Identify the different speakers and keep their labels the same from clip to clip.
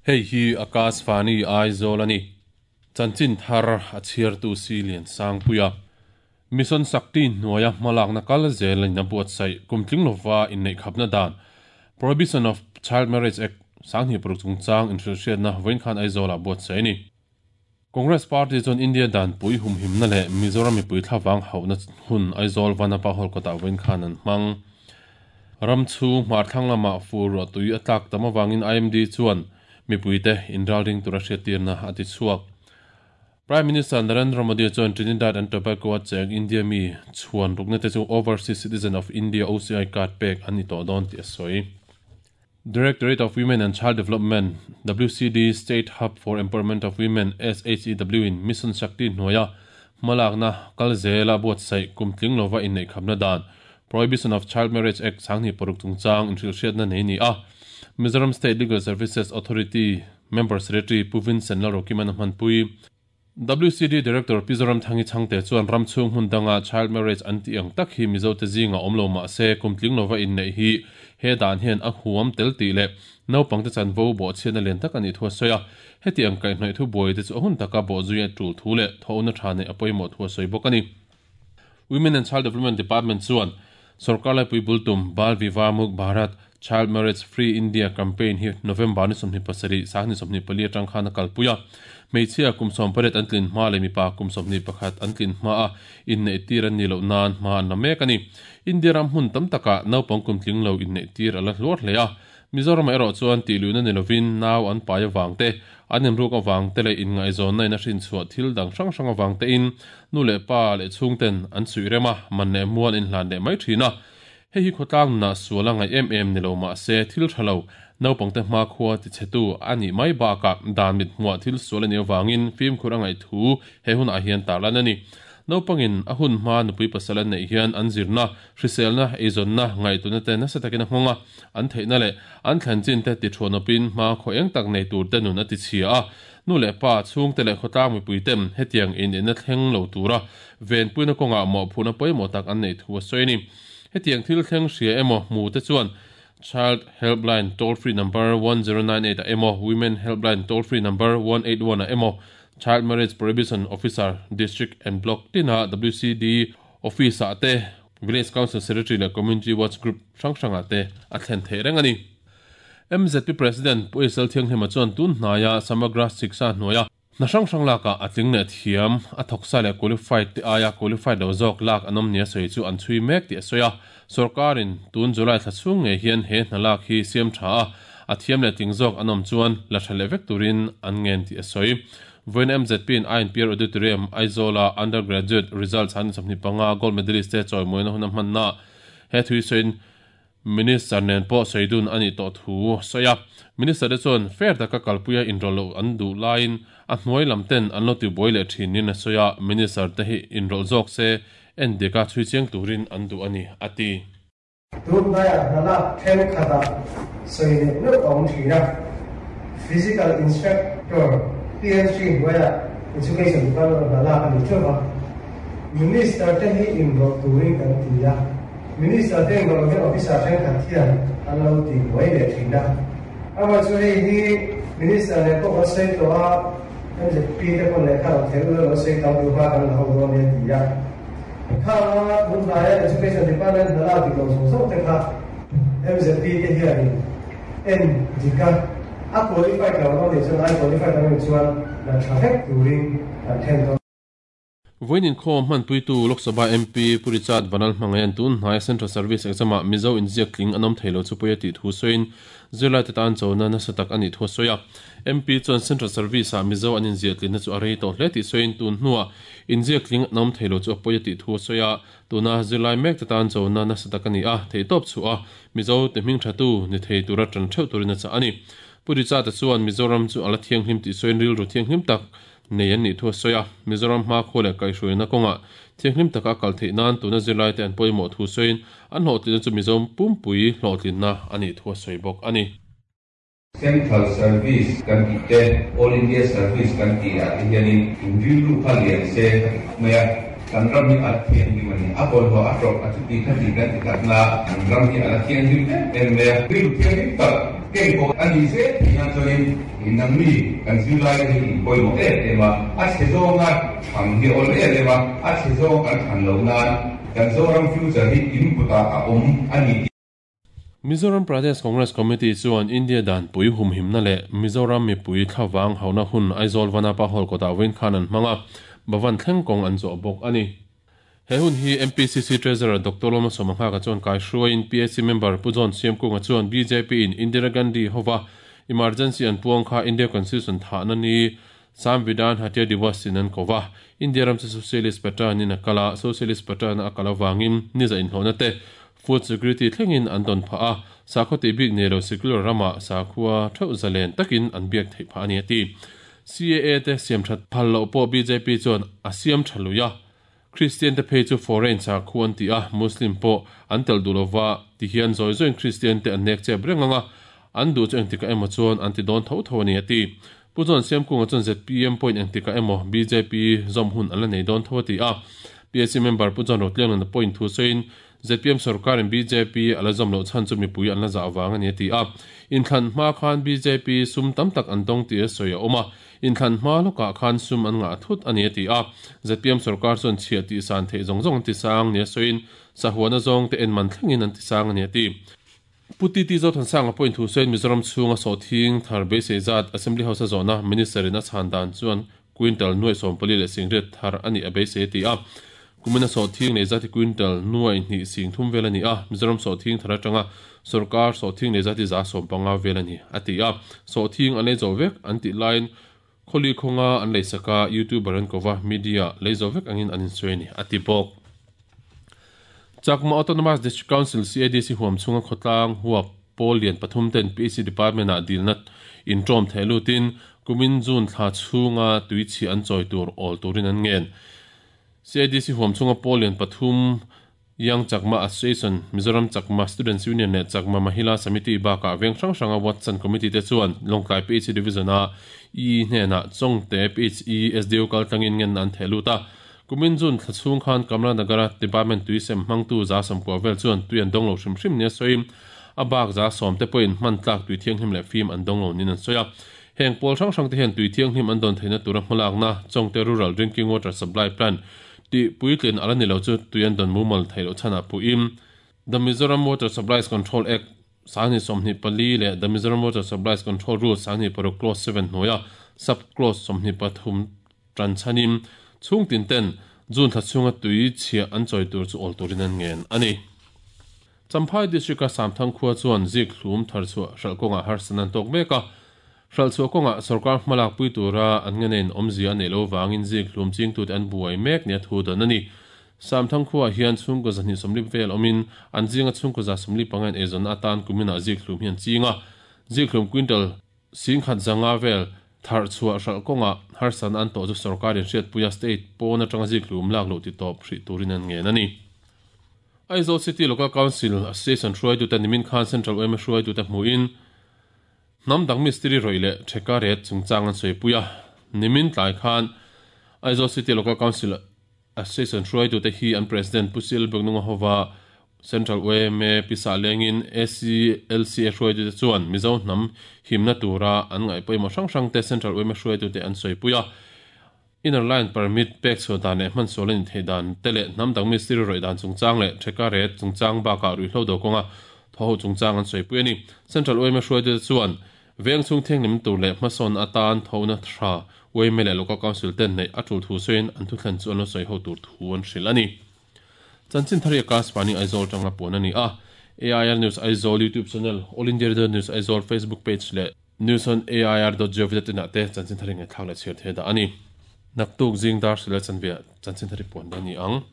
Speaker 1: Hei hi Akashvani Aizawl a ni. Chanchin thar a chhiartu si Lian Sangpuia. Mission Shakti hnuaia hmalakna kal zel in a buatsaih kumtling lova inneih khapna dan Prohibition of Child Marriage Act 2006 chungchang inhrilhhriatna vawiin khan Aizawlah buatsaih a ni. Congress Party chuan India danpui humhimna leh Mizoram mipui thlavang hauhna hun Aizawl Vanapa Hall kawtah vawiin khan an hmang. Ram chhung hmarthlang lamah fur ruah tui a tlak tam avangin IMD chuan mipuite inralring tura hriattirna a ti chhuak. Prime Minister Narendra Modi chuan Trinidad and Tobago-a cheng India mi chhuan rukna te chu Overseas Citizen of India, OCI, card pek an ni tawh dawn tih a sawi. Directorate of Women and Child Development, WCD, State Hub for Empowerment of Women, SHEW, in Mission Shakti hnuaia hmalakna kal zela buatsaih kumtling lova inneihkhamna dan Prohibition of Child Marriage Act 2006 chungchang inhrilhhriatna nei ni a, Mizoram State Legal Services Authority Member Secretary Pu Vincent Lalrokiman a hmanpui. WCD Director Pi Zoramthangi Chhangte chuan ram chhung hmun danga child marriage an tih ang tak hi Mizote zingah awm lo mah se kumtling lova inneih hi he dan hian a huam tel tih leh naupangte chanvo bawhchhiatna lian tak a nih thu a sawi a. Heti ang kaihhnawih thu buai te chu a hun taka bawhzui a tul thu leh thawhna tha neih a pawimawh thu a sawi bawk a ni. Women and Child Development Department chuan Sorkar laipui bul tum Bal Vivah Muk Bharat, Child Marriage Free India campaign hi November ni 27, 24 atang khan a kalpui a. Hmeichhia kum 18 an tlin hma leh mipa kum 21 an tlin hma a inneih tir an nih loh nan hma an la mek a ni. India ram hmun tam takah naupang kum tling lo inneih tir a la hluar hle a. Mizoramah erawh chuan tihluihna ni lovin nau an pai avang te, an inruk avang te leh inngaihzawnna in a hrinchhuah thil dang hrang hrang avang tein nu leh pa leh chhungten an suih rem a, man leh mual inhlan leh mai thin a. Hei hi khawtlang nunah sual a ngaih em em ni lo mah se thil tha lo, naupangte hmakhua tichhetu a nih mai bakah dan mit hmuah thil sual a nih avangin fimkhur a ngaih thu he hunah hian tarlan a ni. Naupangin a hun hma nupui pasal an neih hian an zirna, hriselna, eizawnna, ngaihtuahna te nasa takin a nghawng a, an theihna leh an thlen chin te tithuanawpin hma khaw eng tak nei tur te nun a tichhia a. Nu leh pa, chhungte leh khawtlang mipui ten hetiang inenna thleng lo tura venpuina kawngah mawhphurhna pawimawh tak an neih thu a sawi a ni. Hetiang thil thleng hria emaw hmu te chuan Child Helpline toll free number 1098 ah emaw, Women Helpline toll free number 181 ah emaw, Child Marriage Prohibition Officer District and Block tina WCD Office ah te, Village Council Secretary leh Community Watch Group hrang hrangah te a thlen theih reng a ni. MZP President Pu Isel Thianghlima chuan tun hnaia Samagra Shiksha hnuaia hna hrang hrang lakah a tling leh thiam, a thawksa leh qualified te aia qualified lo zawk lak an awm nia sawi chu an chhui mek tih a sawi a. Sorkarin tun July thla chhung ngei hian he hna lak hi siam tha a, a thiam leh tling zawk an awm chuan la tha leh vek turin an ngen tih a sawi. Vawiin MZP in INPR Auditorium, Aizawl-a Undergraduate Results han 25 Gold Medalist te chawimawina hun a hmanna he thui sawiin Minister nen pawh sawi dun a nih tawh thu a sawi a. Minister te chuan fair taka kalpuia inrawlh loh an duh laiin a hnuai lam ten an lo tibuai leh thin niin a sawi a, Minister te hi inrawlh zawk se en dika chhui chiang turin an duh a ni, a ti.
Speaker 2: Tunhnaiah hna lak thenkhatah sawi leh neuh a awm thin a, Physical Instructor, PhD hnuaiah Education Department hna lak a ni teuh a, Minister te hi inrawlh turin kan ti a, Minister te inrawlh hian officer thenkhat hian an lo ti buai leh thin a, amah chu hei hi Minister leh pawh kan sawi tawh a, MZP te pawn lehkha lo thei ula lo sawi tam duh hma kan la ho dawn nia ti a. Khanga tun hnaia Education Department hna lak dik lo zawng zawng te kha MZP te hianin en dik a, a qualified lo an awm nih chuan ai qualified an awm chuan la tha vek turin kan then dawn.
Speaker 1: Vawiin inkhawm hmanpuitu Lok Sabha MP Pu Richard Vanal hmangaihan tun hnaia Central Service Exam-ah Mizo inziak tling an awm thei lo chu pawi a tih thu sawiin zirlaite tan chona nasa tak a nih thu a sawi a. MP chuan Central Service-ah Mizo an inziah tlinna chu a rei tawh hle tih sawiin tun hnuah inziak tling an awm thei lo chu a pawi a tih thu a sawi a. Tuna zirlai mekte tan chona nasa tak a ni a, theihtawp chhuah a Mizo te hming thatu ni thei tura tan theuh turin a chah a ni. Pu Richard-a chuan Mizoram chu a la thianghlim tih sawiin rilru thianghlim tak nei an nih thu a sawi a, Mizoram hmakhua leh kaihhruaina kawngah thianghlim taka a kal theih nan tuna zirlaite an pawimawh thu sawiin an hlawhtlinna chu Mizo pumpui hlawhtlinna a nih thu a sawi bawk a ni.
Speaker 3: Central Service kan tih te, All India Service kan tih ah te hianin inrilru kha lian se ka ti khawp mai a, kan ram hi a la thianghlim a ni. A bawlhhlawh a ṭawp a chuti kha ti kan ti tak na, kan ram hi a la thianghlim em em mai a, rilru thianghlim tak. Keipawh a nih zel theih nan chuanin nangni kan zirlaite hi in pawimawh em em a, a chhe zawnga thlan hi a awl em em a, a chhe zawng kan thlan loh nan kan Zoram future hi in kutah a awm a ni tih.
Speaker 1: Mizoram Pradesh Congress Committee chuan India danpui humhimna leh Mizoram mipui thlavang hauna hun Aizawl Vanapa Hall kawtah vawiin khan an hmang a, Bhavan thleng kawng an zawh bawk a ni. He hun hi MPCC Treasurer Doctor Lawma Sawmahngaka chuan kaihruaiin PAC member Pu John Siamkunga chuan bjp in Indira Gandhi hova emergency an puang kha India Constitution thahna ni Samvidhan Hatya Diwas in an ko va, India ram chu Socialist pattern in a kal a, Socialist pattern a kal avangin niza inhlawhna te, food security thlengin an dawn phah a, sakhaw tih bik nei lo secular ramah sakhua theuh zalen takin an biak theih phah a ni a ti. CAA te siam that phal loh pawh bjp chuan a siam tha lui a, Kristian te phei chu foreign sakhua an ti a, Muslim pawh an telh duh lova ti hian zawi zawiin Kristian te an nek chep reng ang a, an duh chu engtikah emaw chuan an ti dawn tho tho a ni a ti. Pu John Siamkunga chuan zpm pawhin engtikah emaw bjp zawm hun an la nei dawn tho a ti a. PAC member Pu John Rotlianglana pawhin thu sawiin zpm sorkarin bjp a la zawm loh chhan chu mipui an la zah vang a ni a ti a. Inthlan hma khan bjp sum tam tak an dawng tih a sawi a awm a. Inthlan hma lawkah khan sum an ngah thut a ni a ti a. Zpm sorkar chuan chhiah tih san theih zawng zawng an ti sang nia sawiin sahuana zawngte en man thlengin an ti sang a ni a ti. Pu TT Zothansanga pawhin thu sawiin Mizoram chhunga sawhthing thar beisei zat Assembly House a zawhna Minister in a chhan dan chuan quintal nuaih sawmpali leh singriat thar a nih a beisei a ti a. Kumina sawhthing nei zat hi quintal nuaih hnih sing thum vel a ni a, Mizoram sawhthing thar atanga sorkar sawhthing nei zat hi 150 vel a ni a ti a. Sawhthing an lei zawh vek an tih laiin Khawli khawnga an leisak a, YouTuber an ko va, media lei zo vek angin an insawi a ni, a ti bawk. Chakma Autonomous District Council, CADC, huam chhunga khawtlang huap pawl lian pathum ten PHC Department-ah dilna intawm theh lutin kumin June thla chhunga tuichhi an chawi tur awl turin an ngen. CADC huam chhunga pawl lian pathum Young Chakma Association, Mizoram Chakma Students Union leh Chakma Mahila Samiti bakah veng hrang hranga Watson Committee te chuan Lawngtlai PHE Division-a E hnenah Chawngte PHE SDO kaltlangin ngenna an theh lut a. Kumin June thla chhung khan Kamla Nagara Department tui sem hmangtu 190 vel chuan tui an dawng lo hrim hrim nia sawiin a bak 10% te pawhin hman tlak tui thianghlim leh fim an dawng lo niin an sawi a. Heng pawl hrang hrang te hian tui thianghlim an dawn theihna tura hmalakna Chawngte Rural Drinking Water Supply Plant Tih puitlin a la ni lo chu tui an dawn mumal theih loh chhanah puhin The Mizoram Water Supplies Control Act 2024 leh The Mizoram Water Supplies Control Rules 26 Clause 7 hnuaia Sub Clause 23 tan chhanin chhung tin ten June thla chhunga tui chhiah an chawi tur chu awl turin an ngen a ni. Champhai District-a Samthang khua chuan zik hlum tharchhuah hralh kawngah harsatna an tawk mek a. Hralhchhuah kawngah sorkar hmalak pui tura an ngenein awmzia a neih loh vangin zik hlum chingtute an buai mek nia thu dan a ni. Samthang khuaah hian chhungkaw 240 vel awmin an zinga chhungkaw 145 in eizawnna atan kuminah zik hlum hi an ching a. Zik hlum quintal 10,000 zanga vel tharchhuah hralh kawngah harsatna an tawh chu sorkarin hriatpuia state pawn atanga zik hlum lak loh titawp hrih turin an ngen a ni. Aizawl City Local Council Association hruaitute nimin khan Central yma hruaitute hmuhin hnam dang mistiri rawih leh theka ret chungchang an sawipui a. Nimin tlai khan Aizawl City Local Council Association hruaitute hi an President Pu Sil Biaknunga hova Central yma pisa lengin ACLCA hruaitute chuan Mizo hnam himna tura an ngaih pawimawh hrang hrangte Central yma hruaitute an sawipui a. Inner Line Permit pek chhuah dan leh hmansual a ni theih dan te leh hnam dang mistiri rawih dan chungchang leh theka ret chungchang bakah ruihhlo do kawnga thaw ho chungchang an sawipui a ni. Central yma hruaitute chuan veng chhung thianghlim tur leh hmasawn atan thona tha yma leh Local Council ten neih a tul thu sawiin an thutthlen chu an lo sawi ho tur thu an hrilh a ni. Chanchin thar hi Akashvani Aizawl tanga puan a ni a. AIR News Aizawl YouTube channel, All India Radio News Aizawl Facebook page leh News on AIR dot gov dot in ah te chanchin thar hi ngaihthlak leh chhiar thei dah a ni. Naktuk zing dar hrilh leh chanve ah chanchin thar hi puan dawn a ni ang.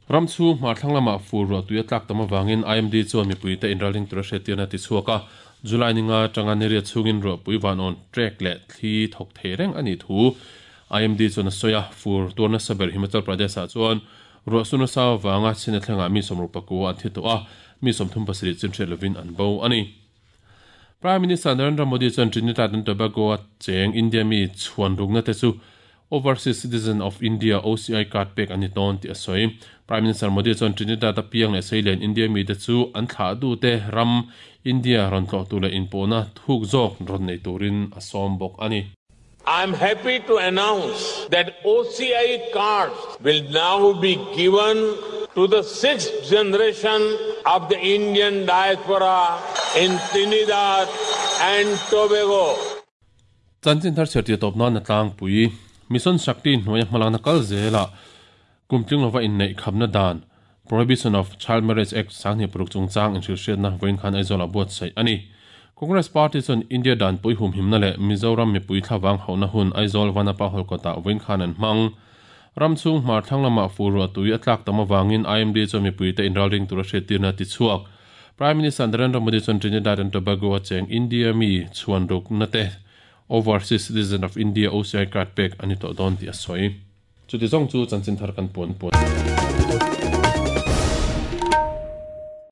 Speaker 1: Ram chhung hmar thlang lamah fur ruah tui a tlak tam avangin IMD chuan mipuite inralring tura hriattirna a ti chhuak a. July ninga atanga niriat chhungin ruahpui vanawn trek leh thli thawk thei reng a nih thu IMD chuan a sawi a. Fur tuar nasa ber Himachal Pradesh ah chuan ruah su nasa avanga chhina thlengah mi 64 an thi tawh a, mi 37 chin hriat lovin an bo a ni. Prime Minister Narendra Modi chuan Trinidad and Tobago-a cheng India mi chhuan rukna te chu Overseas Citizen of India, OCI, card pek an ni dawn tih a sawi. Prime Minister Modi chuan Trinidad-a piang leh Seilen India mite chu an thlah dute ram India rawn tlawh tur leh inpawhna thuk zawk rawn nei turin a sawm bawk a ni.
Speaker 4: I am happy to announce that OCI cards will now be given to the sixth generation of the Indian diaspora in Trinidad and Tobago.
Speaker 1: Chanchin thar chhiar tih tawp nan a tlangpui. Mission Shakti hnuaia hmalakna kal zelah kum tling lova inneih khamna dan, Prohibition of Child Marriage Act, 2006 chungchang inhrilhhriatna vawiin khan Aizawlah buatsaih a ni. Congress Party chuan India danpui humhimna leh Mizoram mipui thlavang hauhna hun Aizawl Vanapa Hall kawtah vawiin khan an hmang. Ram chhung hmar thlang lamah fur ruah tui a tlak tam avangin IMD chuan mipuite inralring tura hriattirna a ti chhuak. Prime Minister Narendra Modi chuan Trinidad and Tobago a cheng India mi chhuan rukna te Overseas Citizen of India, OCI, card pek a ni tawh dawn tih a sawi. Chuti zawng chu chanchin thar kan puan puan.